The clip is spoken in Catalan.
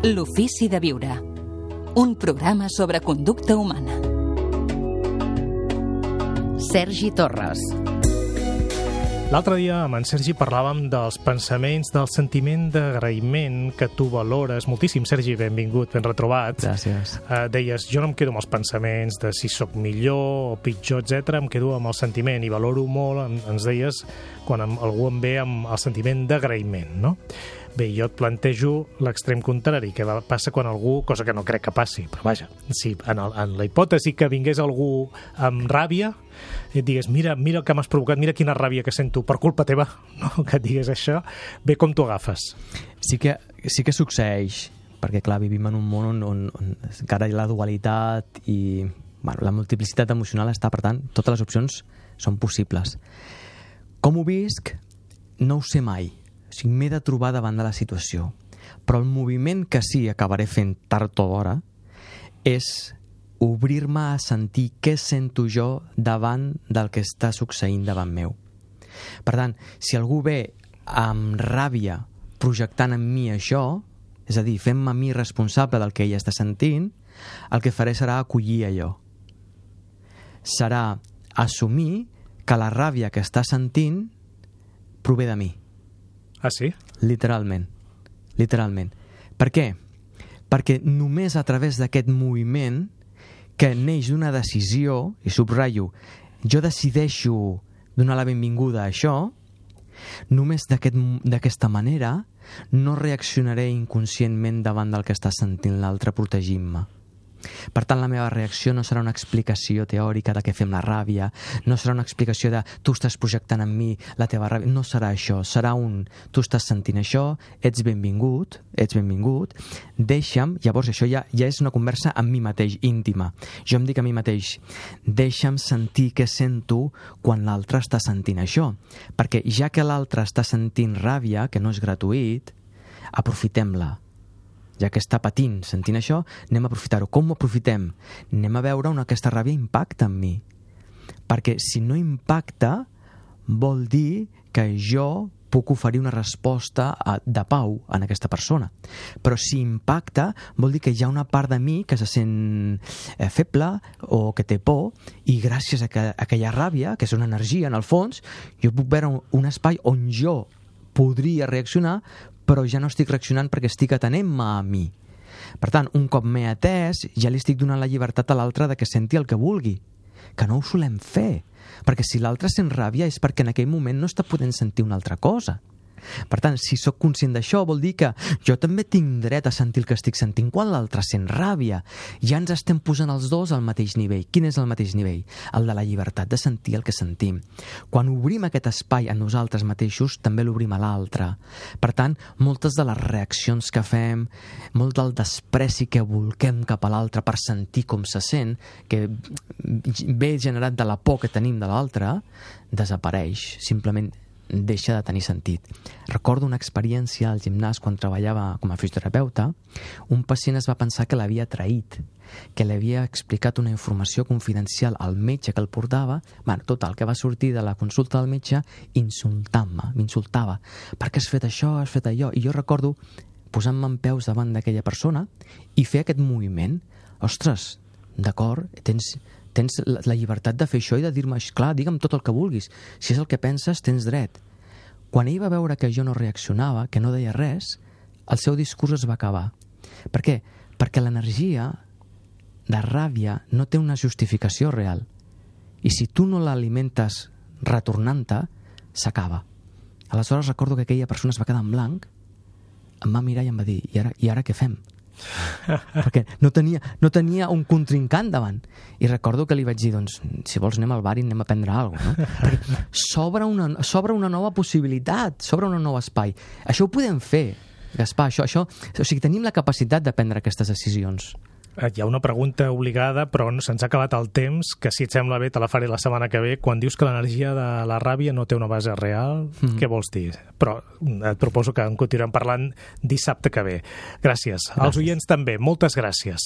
L'ofici de viure. Un programa sobre conducta humana. Sergi Torres. L'altre dia amb en Sergi parlàvem dels pensaments, del sentiment d'agraïment que tu valores moltíssim. Sergi, benvingut, ben retrobat. Gràcies. Deies, jo no em quedo amb els pensaments de si sóc millor o pitjor, etc. Em quedo amb el sentiment i valoro molt, ens deies, quan algú em ve amb el sentiment d'agraïment, no? Bé, jo et plantejo l'extrem contrari, que passa quan algú, cosa que no crec que passi, però vaja, si en la hipòtesi que vingués algú amb ràbia i et digués, mira el que m'has provocat, mira quina ràbia que sento per culpa teva, no? Que et digués això, bé, com t'ho agafes? Sí que succeeix, perquè clar, vivim en un món on encara hi ha la dualitat i la multiplicitat emocional està, per tant, totes les opcions són possibles. Com ho visc? No ho sé mai. O sigui, m'he de trobar davant de la situació. Però el moviment que sí acabaré fent tard o d'hora és obrir-me a sentir què sento jo davant del que està succeint davant meu. Per tant, si algú ve amb ràbia projectant en mi això, és a dir, fent-me a mi responsable del que ella està sentint, el que faré serà acollir allò. Serà assumir que la ràbia que està sentint prové de mi. Ah, sí? Literalment. Per què? Perquè només a través d'aquest moviment que neix d'una decisió, i subratllo, jo decideixo donar la benvinguda a això, només d'aquesta manera no reaccionaré inconscientment davant del que està sentint l'altre protegint-me. Per tant, la meva reacció no serà una explicació teòrica de què fem la ràbia, no serà una explicació de tu estàs projectant en mi la teva ràbia, no serà això, serà tu estàs sentint això, ets benvingut, deixa'm, llavors això ja és una conversa amb mi mateix, íntima. Jo em dic a mi mateix, deixa'm sentir què sento quan l'altre està sentint això, perquè ja que l'altre està sentint ràbia, que no és gratuït, aprofitem-la. Ja que està patint, sentint això, anem a aprofitar-ho. Com ho aprofitem? Anem a veure on aquesta ràbia impacta en mi. Perquè si no impacta, vol dir que jo puc oferir una resposta de pau a aquesta persona. Però si impacta, vol dir que hi ha una part de mi que se sent feble o que té por, i gràcies a aquella ràbia, que és una energia en el fons, jo puc veure un espai on jo podria reaccionar, però ja no estic reaccionant perquè estic atenent-me a mi. Per tant, un cop m'he atès, ja li estic donant la llibertat a l'altre de que senti el que vulgui, que no ho solem fer, perquè si l'altre sent ràbia és perquè en aquell moment no està podent sentir una altra cosa. Per tant, si sóc conscient d'això, vol dir que jo també tinc dret a sentir el que estic sentint quan l'altre sent ràbia. Ja ens estem posant els dos al mateix nivell. Quin és el mateix nivell? El de la llibertat de sentir el que sentim. Quan obrim aquest espai a nosaltres mateixos, també l'obrim a l'altre. Per tant, moltes de les reaccions que fem, molt del despreci que volquem cap a l'altre per sentir com se sent, que ve generat de la por que tenim de l'altre, desapareix. Simplement deixa de tenir sentit. Recordo una experiència al gimnàs quan treballava com a fisioterapeuta. Un pacient es va pensar que l'havia traït, que li havia explicat una informació confidencial al metge que el portava. Total, que va sortir de la consulta del metge insultant-me, m'insultava. Per què has fet això, has fet allò? I jo recordo posant-me en peus davant d'aquella persona i fer aquest moviment. Ostres, d'acord, tens la llibertat de fer això i de dir-me, clar, digue'm tot el que vulguis. Si és el que penses, tens dret. Quan ell va veure que jo no reaccionava, que no deia res, el seu discurs es va acabar. Per què? Perquè l'energia de ràbia no té una justificació real. I si tu no l'alimentes retornant-te, s'acaba. Aleshores recordo que aquella persona es va quedar en blanc, em va mirar i em va dir, i ara què fem? Perquè no tenia un contrincant davant. I recordo que li vaig dir, doncs, si vols anem al bar i anem a prendre alguna cosa, no? Perquè s'obre una nova possibilitat, s'obre un nou espai. Això ho podem fer, Gaspar, això, o sigui, tenim la capacitat de prendre aquestes decisions. Hi ha una pregunta obligada, però se'ns ha acabat el temps, que si et sembla bé te la faré la setmana que ve. Quan dius que l'energia de la ràbia no té una base real, què vols dir? Però et proposo que en continuem parlant dissabte que ve. Gràcies. Als oients també, moltes gràcies.